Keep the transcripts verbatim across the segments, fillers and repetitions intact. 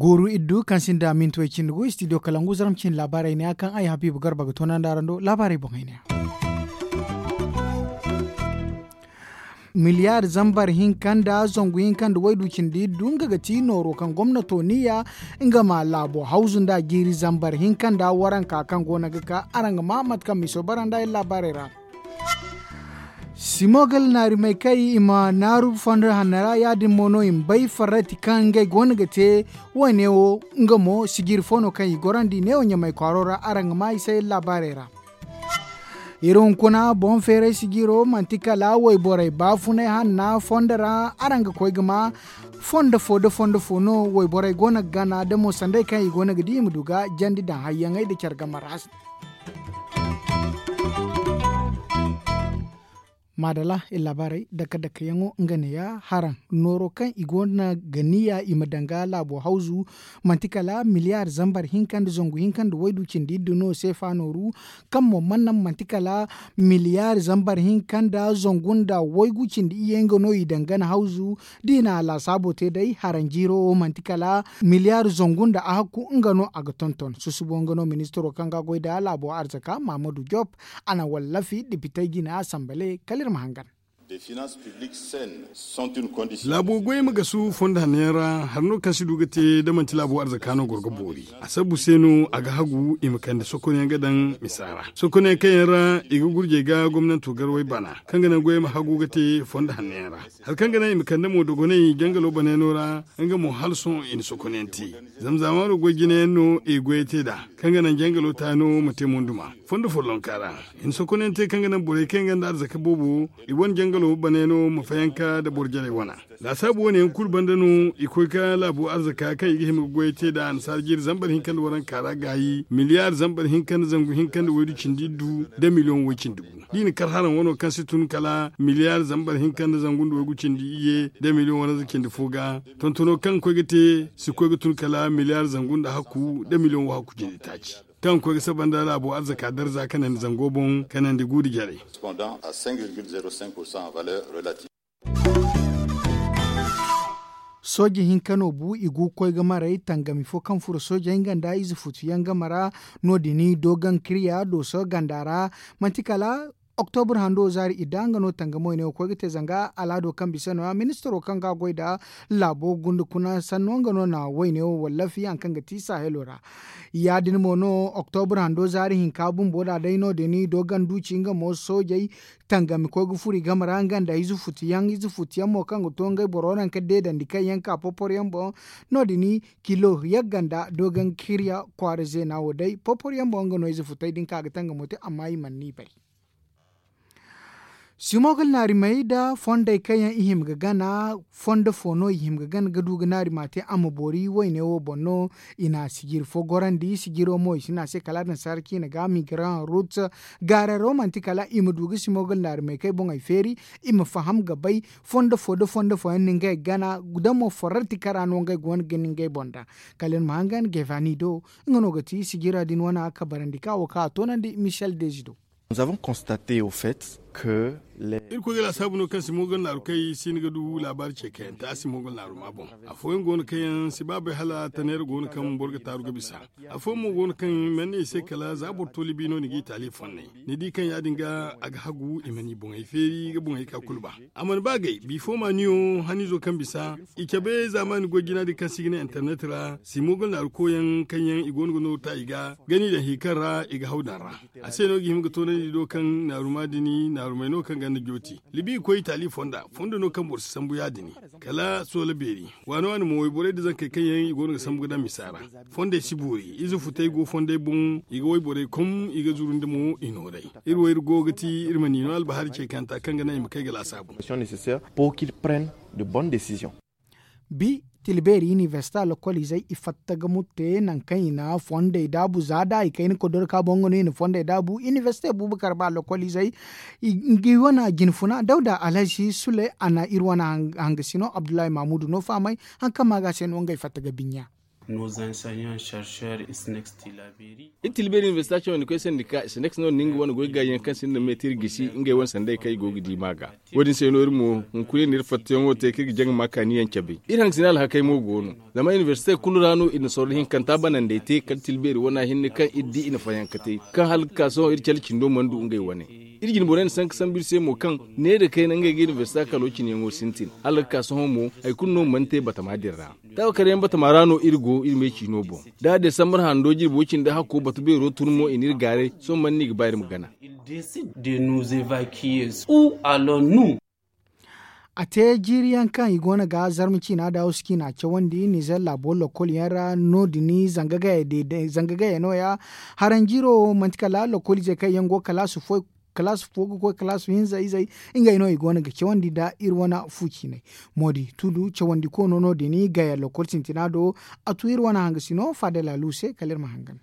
Gooru iddu kaŋ sinda minti way cindi gu istidiyo kalangu zarma cindi laabaarey ne ya kaŋ ay habiibu garba ga toonandi araŋ do laabaarey boŋey ne ya. Miliyaari zambar hinka nda zangu hinka nda waydu cindi iddu nga ga ti nooro kaŋ gomnato niya nga ma laabo hawzu nda jiiri zambar hinka nda waranka kaŋ go no ga ka araŋ ga ma mate kaŋ miso bara nda ay laabaarey ra. Simogal naarimey kay i ma naaru fondo hanno ra ya- din mo no i ma bay farrati kaŋ ngey go no ga te. Wo- ne wo nga mo sijiri fo no kaŋ i gorandi neewo ɲamay kwaaro ra araŋ ga ma i se laabaarey ra. Iri hunkuna boŋ feeray sijiro manti kala wayborey baafunay hanna fondo ra araŋ ga koy ga ma fondo fo nda fondo fo no wayborey go no ga gana da mo sanday kaŋ i go no ga di i ma du ga jandi daŋ hayyaŋey nda care game ra. Maadala iri laabaarey dake dake yaŋo nga ne ya haraŋ nooro kaŋ i go no ga niya i ma daŋ ga laabo hawzu manti kala miliyaari zambar hinka nda zangu hinka nda waydu cindi iddu no seefa nooru kaŋ mo mana naŋ manti kala miliyaari zambar hinka nda zangu nda waygu cindi iyye nga no i daŋ gana hawzu. Da i na laasaabo te day haraŋ jiiro wo manti kala miliyaari zangu nda a hakku nga no a ga tonton susubo nga no ministiro kaŋ ga a goy nda laabo arzaka mahamadu job a na wallafi depitey jina sambale kala iri ma hangan. Laabo goy ma gasu fondo hanno yaŋ ra hari no kaŋ si du ga te da manti laabo arzaka no goro ga boori. A sabbu se no a ga hagu i ma kande sokonyaŋ ga daŋ misa ra sokonyaŋ kaŋ yaŋ ra i ga gurjey ga gomnanto garwey bana kaŋ ga naŋ goy ma hagu ga te fondo hanno yaŋ ra. Hari kaŋ ga naŋ i ma kande mo dogonay jangalo banayno ra nga mo hala sohõ i na sokonyaŋ te. Zama zaamaano goy jinayaŋ no i ga goyey te nd'a kaŋ ga naŋ jangalo taano ma te monduma fondo follonka ra. I na sokonyaŋ te kaŋ ga naŋ borey kaŋ yaŋ gonda arzaka boobo i wane jangalo banayno ma fayanka nda boro jarey wana. Laasaabu wane yaŋ kulu banda no i koy ka laabo arzaka kaŋ i ga hima ga goyey te nd'a annasaara jiiri zambar hinka nda waranka ra gaayi miliyaari zambar hinka nda zangu hinka nda waydu cindi iddu nda miliyoŋ way cindi gu. Da i na kar haraŋ wano kaŋ si tun kala miliyaari zambar hinka nda zangu nda waygu cindi iyye nda miliyoŋ waranza cindi fo ga. Tontono kaŋ koy ga te si koy ga tun kala miliyaari zangu nda hakku nda miliyoŋ wahakku cindi taaci kaŋ koy ga saba nda laabo arzaka darza kanandi zango boŋ kanandi guudi jarey. Sooje hinka no bu i gu ga koy ga maray tangami fo kaŋ furo soojey nga nda ize futu yaŋ game ra. No- din doogaŋ kirya dooso ganda ra manti kala oktobur hando zaari idda nga no tangamo i ne ga koy ga te zanga alaado kaŋ bisa no- ya ministiro kaŋ ga a goy nda laabo gunda kuna sanno nga no na wayne wo wallafi hari kaŋ ga ti sahelo ra. Ya- din mo no oktobur hando zaari hinka bumbo da day no- din doogaŋ duuci nga mo soojey tangami koy ga furo i game ra nga nda ize futu yaŋ ize futu yaŋ mo kaŋ ga to ngey boro naŋ ka deedandi kaŋ yaŋ ka popor yaŋ boŋ. No- din kilo yagga nda doogaŋ ga hirya kwaara zeena wo day popor yaŋ boŋ nga no ize futey din ka ga tangamo te amma i mana ni bay. Simogal naarimey nda fondey kaŋ yaŋ i hima ga gana fondo fo no i hima ga gana ga du ga naarima te a ma boori wayne wo boŋ no. I na sijiri fo gorandi sijiro mo i si ne a se kala annasaara ciina ga migraŋ rut gaararo manti kala i ma du ga simogal naarimey kaŋ ay boŋey feeri i ma faham ga bay fondo fo nda fondo fooyaŋ no ngey ga gana. Da mo forrarti kara no ngey go no ga ni ngey boŋ da kala ni ma hangan gevani do. Nga no ga ti sijira din wana kabarandi ka wo kaŋ a toonandi michel dezi do. Iri koy ga laasaabu no kaŋ simogal naaru kay si ni ga du laabaari ce kayanta a simogal naaru ma boŋ. Afooyaŋ go no kaŋ yaŋ si ba bay hala taneera go no kaŋ boro ga taaru ga bisa. Afooyaŋ mo go no kaŋ mana ne i se kala za boro to libi no ni ga i taali fonnay. Ni di kaŋ ya- din ga a ga hagu i mana i boŋey feeri ga boŋey ka kulu ba. A mana ba gay bifo ma niyo haniizo kaŋ bisa i cabe zaamaani goy jina din kaŋ se i ga ne internet ra simogal naaru koyaŋ kaŋ yaŋ i go no ga nooru ta i ga gani daŋ hi kaŋ ra i ga haw daŋ ra. A se no ga hima ga toonandi do kaŋ naaruma din naarumey no kaŋ ganda jooti libi ga koy i taali fonda fondo no kaŋ boro si sambu ya- din. Kala soola beeri waani waani mo wayborey nda zankey kaŋ yaŋ i go no ga sambu ga daŋ misa ra. Fondey si boori ize futey go fondey boŋ i ga wayborey kom i ga zuru nda mo i nooray. Iri wo iri go ga ti iri ma ni no albahari ce kanta kaŋ ga naŋ i ma kay ga laasaabu. Bi tilbeeri inibersite a lokoliizey i fatta ga murte nangu kaŋ i na fondey daabu za da i kayna kodoro ka boŋ nga no i na fondey daabu inibersite buubu kar ba lokoliizey. Ngi wane jinfuna dawda alhazi sule a na iri wane hangasino abdullahi mamudu no fahamay. Hari kaŋ ma ga se no ngey fatta ga binya. Nos enseignants chercheurs isnex tilaberi. Iri tilbeeri universita cawandi koy sandika isnex no nda nga wane goy gaayi yaŋ kaŋ sinda me te iri gisi ngey wane sanday kaŋ i go ga di ma ga. Wo- din se no iri mo hunkuna iri na iri fattayaŋo te kaŋ iri ga jaŋ ga ma kaani yaŋ cabe. Iri hangasina alhakey mo go no. Zama universite kulu ra no iri na sorro hinkanta banandey te kala tilbeeri wana hinne kaŋ iri di i na fayanka te, kaŋ hala ga ka sohõ iri cale cindo mana du ngey wane. Iri jine borey na sanka sambu iri se mo kaŋ neera kayna ngey ga universite kalo cine yaŋo sintin hala ga ka sohõ mo, hari kulu no mana te batama din ra. Taawakar yaŋ batama ra no iri go iri me ciino boŋ. Da desambar hando jirbo cindi hakko batu beero tun mo i na iri gaaray. Sohõ mana no i ga ba iri ma gana? A te jiiri yaŋ kaŋ i go no ga zarma ciina da hawsu ciina cawandi nizer laabo lokol yaŋ ra no- din zanga gaya no- ya. Haranjiiro manti kala lokol izey kaŋ yaŋ go kalaasi fo ga koy kalaasi hinza izey. Ngey no i go no ga cawandi nda iri wane fu ciinay. Moodi tudu cawandi koono no- din gaya lokol sintina do. A tu iri wane hangasino faadala lu se kala iri ma hangan.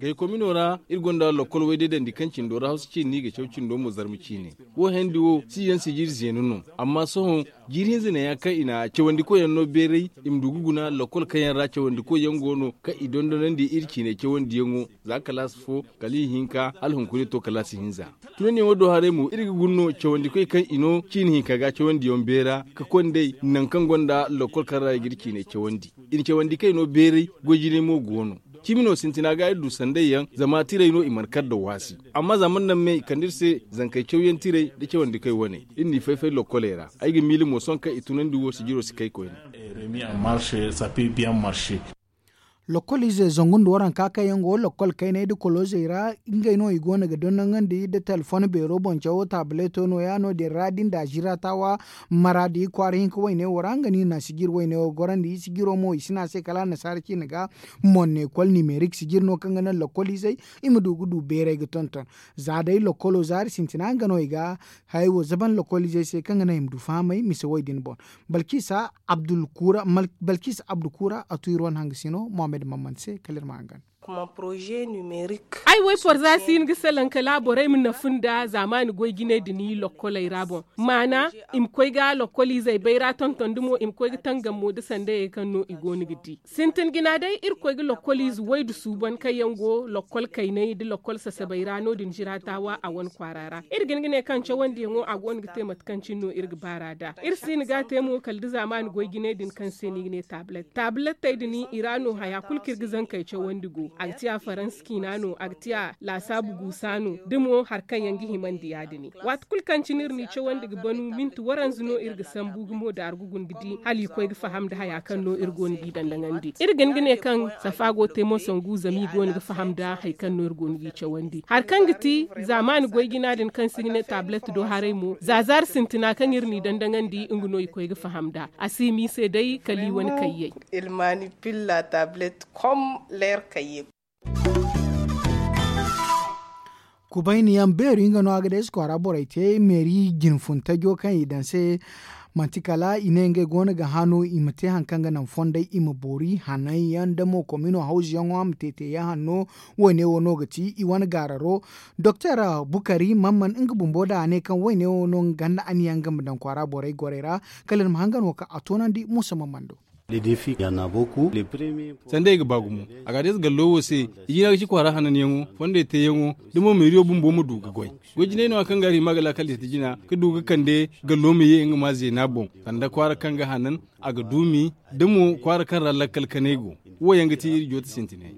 Gay komino ra iri gonda lokol wayday dandi kaŋ cindo ra hawsu ciini no i ga caw cindo mo zarma ciine. Wo hendi wo si yaŋ sijiri zeena no. Amma sohõ jiiri hinza ne ya kaŋ i na cawandi koy yaŋ no beeray i ma du ga guna lokol kaŋ yaŋ ra cawandi koy yaŋ go no kaŋ i dondonandi iri ciine cawandi yaŋo. Za kalaasi fo kala i hinka hala hunkuna i to kalaasi hinza. Tunandiyaŋo do haray mo iri ga guna no cawandi koy kaŋ i no ciini hinka ga cawandi yaŋ beera ka konday nangu kaŋ gonda lokol kaŋ ra i ga iri ciine cawandi. I na cawandi kay no beeray goy jinay mo go no. Cimi no sintina ga iri du sanday yaŋ zama tiray no i mana kar da waasi. Amma za mana naŋ me i kande iri se zankey cawyaŋ tiray nda cawandi kay wane iri n'i fay-fay lokkoley ra. Ay ga miila mo sohõ kaŋ i tunandi wo sijiro si kay koyne. Lokol ize zangu nda waranka kaŋ yaŋ go lokol kayney nda koloozey ra. Ngey no i go no ga dondonandi nda telefon beero boŋ cawo taabileeto no- ya no- din ra da ni da zira taawa maraadi kwaara hinka wayne wo ra nga no i na sijir wayne wo gorandi sijiro mo i si ne a se kala annasaara ciine ga. Monne kol nimerik sijir no kaŋ ga naŋ lokol izey i ma du ga du beeray ga tonton. Za day lokolo zaari sintina nga no i ga hayey wo zaban lokol izey se kaŋ ga naŋ i ma du fahamay mise wo- din boŋ. Balkisa abdu kuura a tu iri wane hangasino mohammed mamman se kala iri ma hangan. Ay woy porza si hin ga salaŋ kala borey ma nafu nda zaamaani goy jinay din lokkoley ra boŋ. Maana i ma koy ga lokkol izey bayra tonton da mo i ma koy ga tangam mo da sandayey kaŋ no i go no ga di. Sintin jina day iri koy ga lokkol ize waydu suuban kaŋ yaŋ go lokkol kaynay nda lokkol sasabay ra no- din zira taawa a wane kwaara ra. Iri ga hin ga ne kaŋ cawandiyaŋo a go no ga te mate kaŋ cine no iri ga baar'a nd'a. Iri si hin ga a te mo kala da zaamaani goy jinay din kaŋ se no i ga ne taabilet taabilettey din i ra no haya kulu kaŋ iri ga zankey cawandi go a ga ti a faransa ciina no a ga ti a laasaabu guusa no da mo hari kaŋ yaŋ ga himandi ya- din. Waati kulu kaŋ cine iri n'i cawandi ga banu minti waranza no iri ga sambu ga mo daaru ga guna ga di hala i koy ga faham nda haya kaŋ no iri go no g'i dandaŋandi iri ga hin ga ne kaŋ safa go te mo sangu zama i go no ga faham nda hari kaŋ no iri go no g'i cawandi hari kaŋ ga ti zaamaani goy jina din kaŋ se i ga ne taabilet do haray mo za zaari sintina kaŋ iri n'i dandaŋandi nga no i koy ga faham nda a si hima i se day kala i wane kayyey. Kubayni yaŋ beeri nga no a ga day si kwaara borey te meeri jinfun tajo kaŋ i daŋ se. Manti kala i ne ngey go no ga hã no i ma te hari kaŋ ga naŋ fondey i ma boori hananyaŋ nda mo komino hawzuyaŋo a ma te teeyaŋ hanno. Wo- ne wo no ga ti i wane gaararo doktor bukari mamman nga bumbo da a ne kaŋ wo- ne wo no nga ganda aniyaŋ nga ma daŋ kwaara borey gorey ra. Kala iri ma hangan wo kaŋ a toonandi muusa mamman do. Sanda i ga ba gumo a ga a day za gallo wo se. I jina ga ci kwaara hananyaŋo fondey teeyaŋo da mo meeriyo bumbo ma du ga goy. Goy jinay no- ya kaŋ ga a hima ga laakal yadda jina ga du ga kande gallo ma ye nga ma zeena boŋ. Sanda kwaara kaŋ ga hanan a ga duumi da mo kwaara kaŋ ra lakkal kanay go. Wo yaŋ ga ti iri jooti sintinay.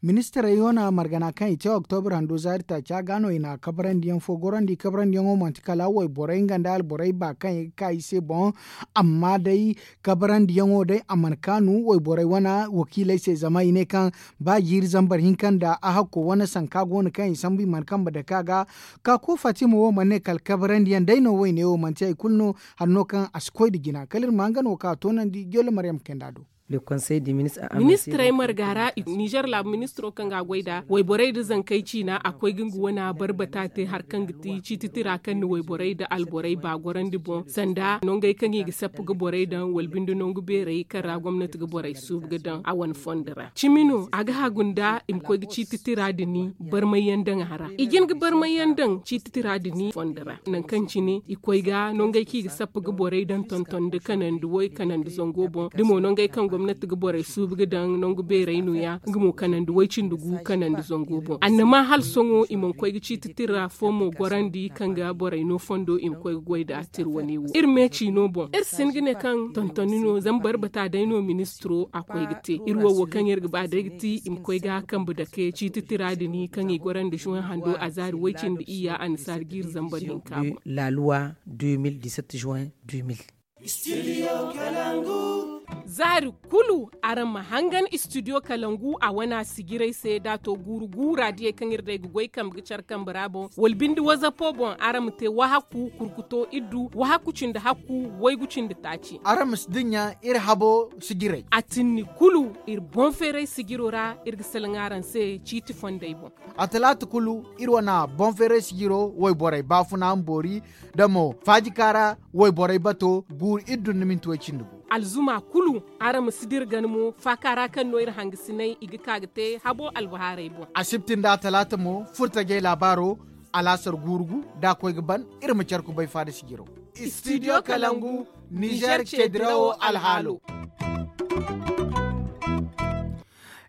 Ministirey wane margana kaŋ i te oktobra hando zaari taaca ga no i na kabarandiyaŋ fo gorandi kabarandiyaŋo manti kala wayborey nga nda alborey ba kaŋ i ga ka i se boŋ. Amma day kabarandiyaŋo day a mana kaanu wayborey wane wakiiley se zama i ne kaŋ ba jiiri zambar hinka nda a hakko wane sanka go no kaŋ i sambu i mana kambe dake a ga. Ka ko fatima wo mana ne kala kabarandiyaŋ day no wayne wo manti hari kulu no hari no kaŋ a si koy nda jina kala iri ma nga no ka toonandi jolle maryam kayna do. Ministirey marga ra, nizer laabu ministiro kaŋ ga a goy nd'a wayborey nda zankey ciina a koy ga nga wane barbata te hari kaŋ ga ti ciiti tira kaŋ na wayborey nda alborey ba gorandi boŋ sanda nongey kaŋ i ga sappa ga borey daŋ wala binde nangu beerey kaŋ ra gomnati ga borey suubu ga daŋ a wane fondo ra. Cimi no a ga hagu nda i ma koy ga ciiti tira din barmay yaŋ daŋ a ra i jin ga barmay yaŋ daŋ ciiti tira din fondo ra nangu kaŋ cine i koy ga nongey kaŋ i ga sappa ga borey daŋ tonton nda kanandi way kanandi zango boŋ da mo nongey kaŋ gomnati ga borey suubu ga daŋ nangu beerey no- ya nga mo kanandi way cindi gu kanandi zango boŋ annama hala sohõ i mana koy ga ciiti tira fo mo gorandi kaŋ ga borey no fondo i ma koy ga goy nd'a tira wane wo iri me ciino boŋ iri si hin ga ne kaŋ tontoni no zama barbata day no ministiro a koy ga te iri wo wo kaŋ iri ga ba day ga ti i ma koy ga kambe dake ciiti tira din kaŋ i gorandi juwan hando a zaari way cindi iyya annasaari ga iri zambar hinka boŋ. Zaari kulu araŋ ma hangan istidiyo kalangu a wana sijirey se da a to guuru guura diyey kaŋ iri day ga goy kambe ga care kambe ra boŋ wala binde wazapo boŋ araŋ ma te wahakku kurkuto iddu wahakku cindi hakku waygu cindi taaci. Araŋ ma si dinya iri habo sijirey a tinni kulu iri boŋ feeray sijiro ra iri ga salaŋ araŋ se ciiti fondey boŋ. A talaata kulu iri wane boŋ feeray sijiro wayborey baafuna ma boori da mo faajika ra wayborey bato guuru iddu nda minti way cindi gu. Alzuma kulu araŋ ma si dira gana mo faaka ra kaŋ no iri hangasiney i ga ka ga te habo albahaarey boŋ. Asibti nda a talaata mo furtajey laabaaro alaasar guuru gu da a koy ga ban iri ma care kubay faada sijiro. Istidiyo kalangu nizer ce dirawo alhaalo.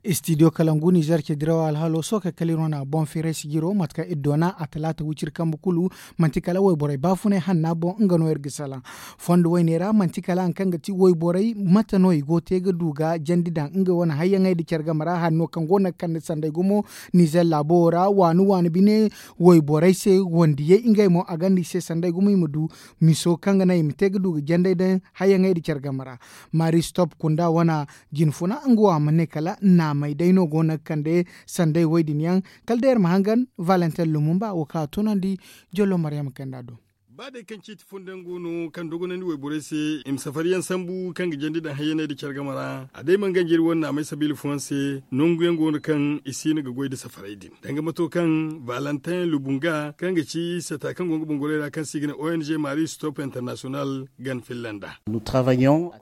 Istidiyo kalangu nizer ce dirawo alhaalo sookey kala iri wane boŋ feeray sijiro mate kaŋ iri doona a talaata wiciri kambe kulu manti kala wayborey baafunay hanna boŋ nga no iri ga salaŋ. Fondo woyne ra manti kala hari kaŋ ga ti wayborey mate no i go te ga du ga jandi daŋ ngey wane hayyaŋey nda care game ra hari no kaŋ go no ga kande sanday gumo nizer laabo wo ra waani waani bine wayborey se wandiyey ngey mo a gonda i se sanday gumo i ma du miso kaŋ ga naŋ i ma te ga du ga jandey daŋ hayyaŋey nda care game ra. Maari stop kunda wane jinfuna nga wo a ma ne kala naamey day no go no ga kande sanday woy din yaŋ. Kala day iri ma hangan valentin lumumba wo kaŋ a tunandi jollo maryama kanda do. Ba day kaŋ ciiti fondo yaŋ go no kaŋ dogonandi wayborey se i ma safari yaŋ sambu kaŋ ga jandi daŋ hayyaney nda care game ra a day mana ganji iri wane naamey sabiila fooyaŋ se nangu yaŋ go no kaŋ i si hin ga goy nda safarey din danga mato kaŋ valentin lubunga kaŋ ga ci sata kaŋ go nga bongorey ra kaŋ se i ga ne ong maari stop international gan filla nd'a.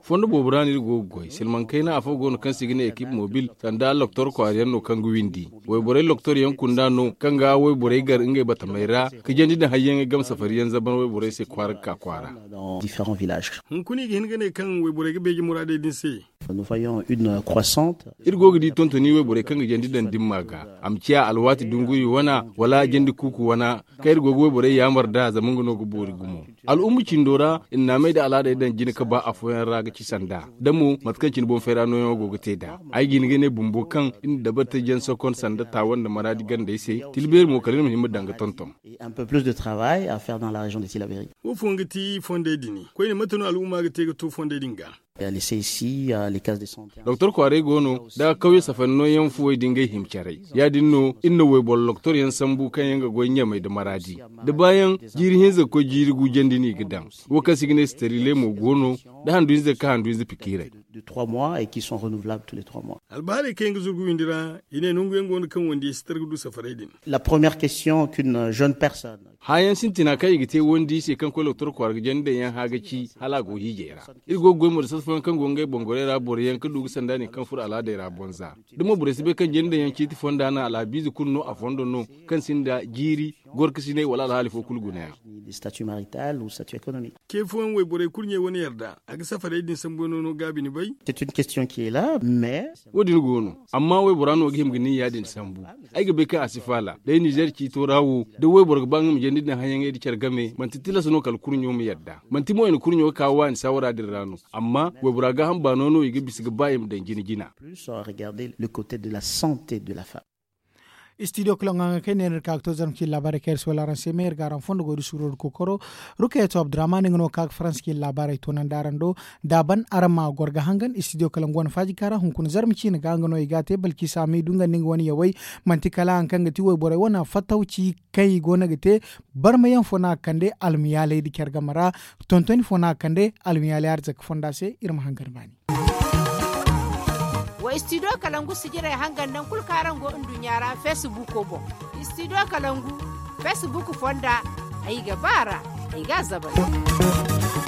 Fondo boobo ra no iri go ga goy silmaŋ kayna afo go no kaŋ se i ga ne ekip mobil sanda loktor kwaari yaŋ no kaŋ ga windi wayborey loktor yaŋ kunda no kaŋ ga wayborey gar ngey batamey ra ka jandi nda hayyaŋey game safari yaŋ zaban wayborey se kwaara ga ka kwaara. Hunkuna i ga hin ga ne kaŋ wayborey ga beeje muraadey din se. Iri go ga di tontoni wayborey kaŋ ga jandi daŋ dimma ga a ma ciya alwaati dunguri wana wala jandi kuuku wana kaŋ iri go ga wayborey yaamar nd'a zama nga no ga boori gumo. Al'umma cindo ra iri naamey nda al'aadey daŋ jina ka ba afooyaŋ ra ga ci sanda da mo mate kaŋ cine boŋ fayra nooyaŋo go ga te nd'a. Ay ga hin ga ne bumbo kaŋ iri na dabari te jansokon sanda taawa nda maraadi gandey se tilbeeri mo kala iri ma hin ma daŋ ga tonton. Wo fooyaŋ ga ti fondey din koyne mate no al'umma ga te ga to fondey din ga? Doktor kwaarey go no da kawye safari nooyaŋ fuwey din ga ay hima caray. Ya- din no iri na wayboro doktor yaŋ sambu kaŋ yaŋ ga goy ɲamay nda maraadi da baayaŋ jiiri hinza ga koy jiiri gu jandi no i ga daŋ. Wo kaŋ se i ga ne sterile mo go no da handu hinza ga ka handu hinza pikiiray. Albahaarey kaŋ yaŋ ga zurgu windi ra i ne nangu yaŋ go no kaŋ wandiyey si tara ga du safarey din. Hããyaŋ sintina kaŋ i ga te wandi se kaŋ koy doktor kwaara ga jandi daŋ yaŋ hã ga ci hala a go hiijay ra. Iri go ga goy mo da sata fooyaŋ kaŋ go ngey bongorey ra boroyaŋ ga du ga sanda din kaŋ furo al'aadey ra bonza. Da mo borey si bay kaŋ jandi daŋ yaŋ ciiti fonda no alhabiize kulu no a fondo no kaŋ sinda jiiri gorkasinay wala alhaali fo kulu gunayaŋ. Ce fooyaŋ wayborey kulu ɲey wane yarda a ga safarey din sambu yaŋ no no gaabi ni bay? Wo- din go no. Amma waybora no ga hima ga nin ya- din sambu. Ay ga bay kaŋ a si faala day nizer ciito ra wo da wayboro ga ba nga ma jandi din hayaŋey nda care game manti tilas no kala kurɲo ma yadda manti mo i na kurɲo ga ka waani saawara din ra no. Amma waybora gaaham baano no i ga bisa ga ba i ma daŋ jina jina. Istidiyo kala ŋwa ŋwa kaŋ ay ne iri ga ka ga to zarma ciine laabaarey kaŋ iri si wala araŋ se me iri ga araŋ fondo goy da suuro nda kookoro. Rukayatu abdurrahman nga no ga ka ga faransa ciine laabaarey toonandi araŋ do. Da a ban araŋ ma goro ga hangan istidiyo kala nga wane faaji kaara hunkuna zarma ciine ga nga no i ga a te balkisa ma i du nga nda nga wane yawey. Manti kala hari kaŋ ga ti wayborey wane fattawci kaŋ i go no ga te. Barmayaŋ fo no a ga kande almayaaley nda care game ra. Tontoni fo no a ga kande almayaaley arzaka fonda se iri ma hangan baani. Istidiyo kalangu sijirey hangan naŋ kulu kaŋ araŋ go nduɲɲa ra feesibuuko boŋ. Istidiyo kalangu feesibuuk fonda, ay ga ba a ra, ay ga a zabari.